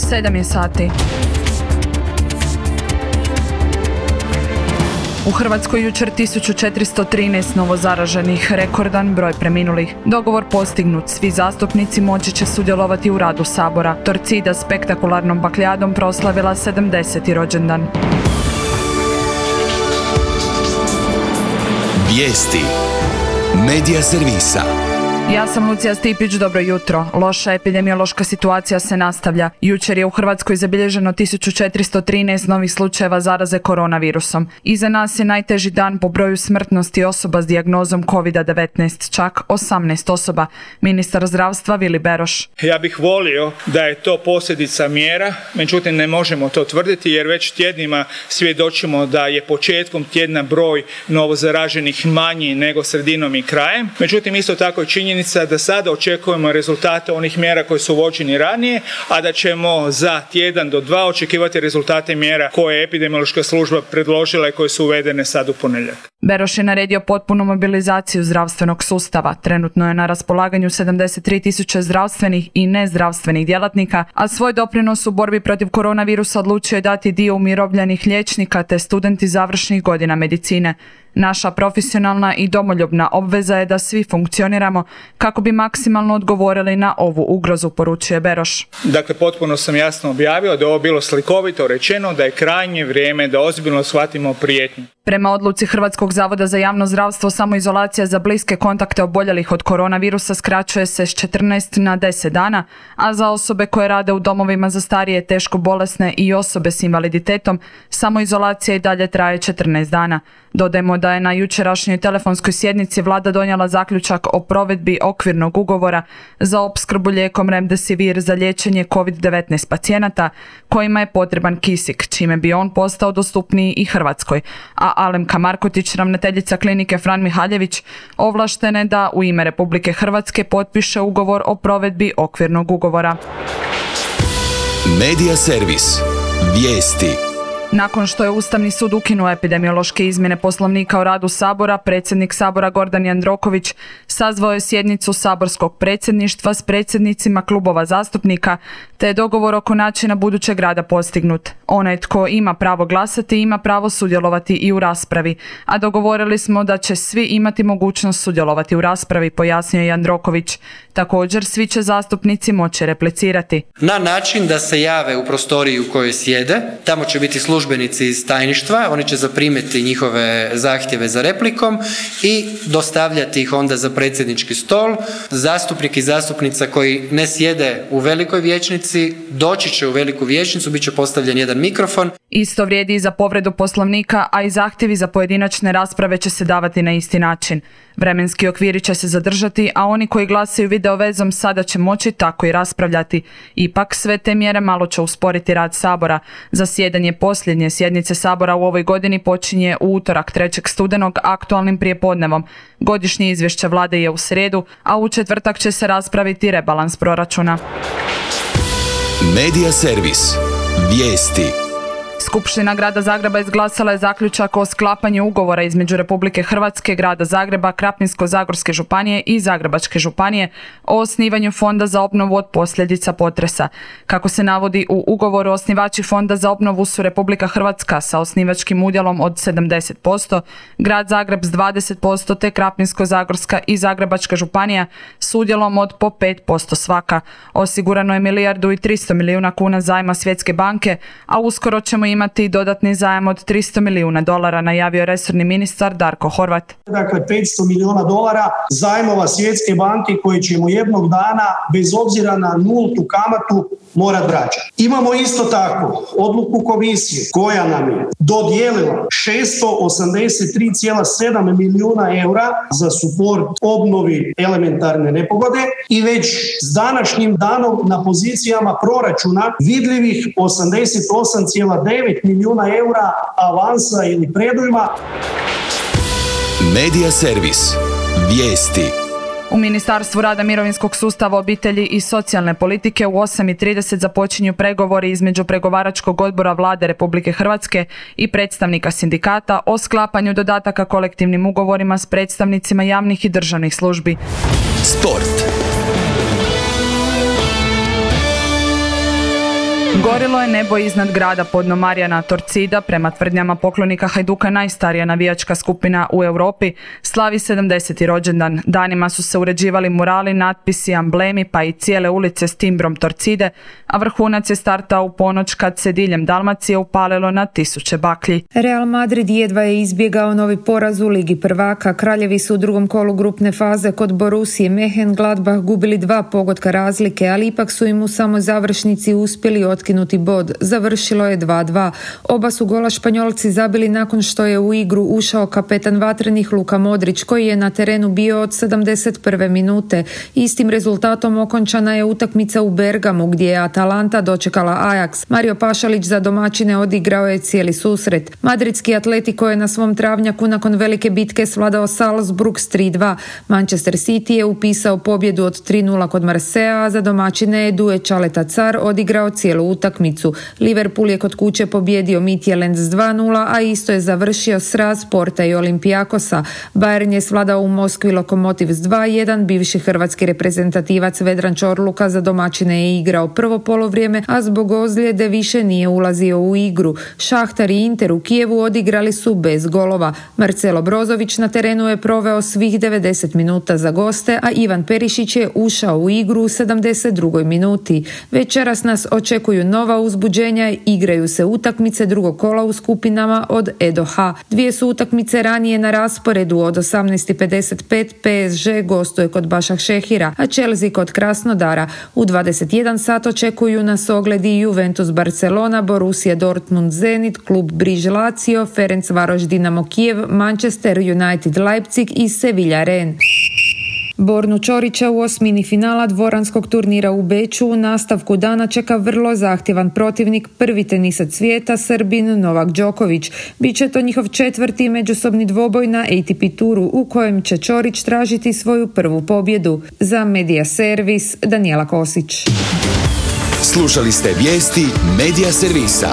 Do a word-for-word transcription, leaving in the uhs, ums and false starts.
sedam je sati. U Hrvatskoj jučer tisuću četiristo trinaest novozaraženih, rekordan broj preminulih. Dogovor postignut, svi zastupnici moći će sudjelovati u radu Sabora. Torcida spektakularnom bakljadom proslavila sedamdeseti rođendan. Vijesti Medija servisa. Ja sam Lucija Stipić, dobro jutro. Loša epidemiološka situacija se nastavlja. Jučer je u Hrvatskoj zabilježeno tisuću četiristo trinaest novih slučajeva zaraze koronavirusom. Iza nas je najteži dan po broju smrtnosti osoba s dijagnozom kovid devetnaest, čak osamnaest osoba. Ministar zdravstva Vili Beroš. Ja bih volio da je to posljedica mjera, međutim ne možemo to tvrditi jer već tjednima svjedočimo da je početkom tjedna broj novozaraženih manji nego sredinom i krajem. Međutim, isto tako je činjenica da sada očekujemo rezultate onih mjera koje su uvođeni ranije, a da ćemo za tjedan do dva očekivati rezultate mjera koje je epidemiološka služba predložila i koje su uvedene sad u ponedjeljak. Beroš je naredio potpunu mobilizaciju zdravstvenog sustava. Trenutno je na raspolaganju sedamdeset tri tisuće zdravstvenih i nezdravstvenih djelatnika, a svoj doprinos u borbi protiv koronavirusa odlučio je dati dio umirovljenih liječnika te studenti završnih godina medicine. Naša profesionalna i domoljubna obveza je da svi funkcioniramo kako bi maksimalno odgovorili na ovu ugrozu, poručuje Beroš. Dakle, potpuno sam jasno objavio da je ovo bilo slikovito rečeno, da je krajnje vrijeme da ozbiljno shvatimo prijetnju. Prema odluci Hrvatskog zavoda za javno zdravstvo, samoizolacija za bliske kontakte oboljelih od koronavirusa skraćuje se s četrnaest na deset dana, a za osobe koje rade u domovima za starije, teško bolesne i osobe s invaliditetom, samoizolacija i dalje traje četrnaest dana. Dodajmo da je na jučerašnjoj telefonskoj sjednici vlada donijela zaključak o provedbi okvirnog ugovora za opskrbu lijekom Remdesivir za liječenje kovid devetnaest pacijenata kojima je potreban kisik, čime bi on postao dostupniji i Hrvatskoj. A Alemka Markotić, ravnateljica klinike Fran Mihaljević, ovlaštene da u ime Republike Hrvatske potpiše ugovor o provedbi okvirnog ugovora. Medija servis. Vijesti. Nakon što je Ustavni sud ukinuo epidemiološke izmjene Poslovnika o radu Sabora, predsjednik Sabora Gordan Jandroković sazvao je sjednicu saborskog predsjedništva s predsjednicima klubova zastupnika, te je dogovor oko načina budućeg rada postignut. Onaj tko ima pravo glasati ima pravo sudjelovati i u raspravi, a dogovorili smo da će svi imati mogućnost sudjelovati u raspravi, pojasnio je Jandroković. Također, svi će zastupnici moći replicirati. Na način da se jave u prostoriji u kojoj sjede, tamo će biti službenici iz tajništva, oni će zaprimiti njihove zahtjeve za replikom i dostavljati ih onda za predsjednički stol. Zastupnik i zastupnica koji ne sjede u velikoj vijećnici, doći će u veliku vijećnicu, bit će postavljen jedan mikrofon. Isto vrijedi i za povredu Poslovnika, a i zahtjevi za pojedinačne rasprave će se davati na isti način. Vremenski okviri će se zadržati, a oni koji glasaju video vezom sada će moći tako i raspravljati. Ipak sve te mjere malo će usporiti rad Sabora. Zasjedanje posljednje sjednice Sabora u ovoj godini počinje u utorak trećeg studenog aktualnim prijepodnevom. Godišnje izvješće vlade je u srijedu, a u četvrtak će se raspraviti rebalans proračuna. Medija servis. Vijesti. Skupština Grada Zagreba izglasala je zaključak o sklapanju ugovora između Republike Hrvatske, Grada Zagreba, Krapinsko-zagorske županije i Zagrebačke županije o osnivanju Fonda za obnovu od posljedica potresa. Kako se navodi u ugovoru, osnivači Fonda za obnovu su Republika Hrvatska sa osnivačkim udjelom od sedamdeset posto, Grad Zagreb s dvadeset posto te Krapinsko-zagorska i Zagrebačka županija s udjelom od po pet posto svaka. Osigurano je milijardu i tristo milijuna kuna zajma Svjetske banke, a uskoro ćemo imati dodatni zajam od tristo milijuna dolara, najavio resorni ministar Darko Horvat. Dakle, petsto milijuna dolara zajmova Svjetske banke koji ćemo jednog dana, bez obzira na nultu kamatu, morat vraćati. Imamo isto tako odluku komisije koja nam je dodijelila šesto osamdeset tri zarez sedam milijuna eura za suport obnovi elementarne nepogode i već s današnjim danom na pozicijama proračuna vidljivih osamdeset osam zarez devet milijuna eura avansa ili predujma. Medija servis. Vijesti. U Ministarstvu rada, mirovinskog sustava, obitelji i socijalne politike u osam i trideset započinju pregovori između pregovaračkog odbora Vlade Republike Hrvatske i predstavnika sindikata o sklapanju dodataka kolektivnim ugovorima s predstavnicima javnih i državnih službi. Sport. Gorilo je nebo iznad grada podno Marijana. Torcida, prema tvrdnjama poklonika Hajduka najstarija navijačka skupina u Europi, slavi sedamdeseti rođendan. Danima su se uređivali murali, natpisi, amblemi pa i cijele ulice s timbrom Torcide, a vrhunac je startao u ponoć kad se diljem Dalmacije upalilo na tisuće baklji. Real Madrid jedva je izbjegao novi poraz u Ligi prvaka. Kraljevi su u drugom kolu grupne faze kod Borussije Mönchengladbach gubili dva pogotka razlike, ali ipak su im u samoj završnici uspjeli otkinuti bod. Završilo je dva dva. Oba su gola Španjolci zabili nakon što je u igru ušao kapetan vatrenih Luka Modrić, koji je na terenu bio od sedamdeset prve minute. Istim rezultatom okončana je utakmica u Bergamu, gdje je Atalanta dočekala Ajax. Mario Pašalić za domaćine odigrao je cijeli susret. Madridski Atletico je na svom travnjaku nakon velike bitke svladao Salzburg s tri dva. Manchester City je upisao pobjedu od tri nula kod Marseja, a za domaćine je Due Čaleta Car odigrao cijelu utakmicu. Liverpool je kod kuće pobjedio Midtjylland s dva nula, a isto je završio sraz Porta i Olympiakosa. Bayern je svladao u Moskvi Lokomotiv s dva jedan. Bivši hrvatski reprezentativac Vedran Čorluka za domaćine je igrao prvo polovrijeme, a zbog ozljede više nije ulazio u igru. Šahtar i Inter u Kijevu odigrali su bez golova. Marcelo Brozović na terenu je proveo svih devedeset minuta za goste, a Ivan Perišić je ušao u igru u sedamdeset drugoj minuti. Večeras nas očekuju nova uzbuđenja, igraju se utakmice drugog kola u skupinama od E do H. Dvije su utakmice ranije na rasporedu. Od osamnaest i pedeset pet P S G gostuje kod Başakšehira, a Chelsea kod Krasnodara. U dvadeset jedan sat očekuju nas ogledi Juventus Barcelona, Borussia Dortmund Zenit, klub Briž Lazio, Ferencvaroš Dinamo Kijev, Manchester United Leipzig i Sevilla Ren. Bornu Ćorića u osmini finala dvoranskog turnira u Beču u nastavku dana čeka vrlo zahtjevan protivnik, prvi tenisac svijeta, Srbin Novak Đoković. Biće to njihov četvrti međusobni dvoboj na A T P turu u kojem će Ćorić tražiti svoju prvu pobjedu. Za Media Servis, Danijela Kosić. Slušali ste vijesti Media Servisa.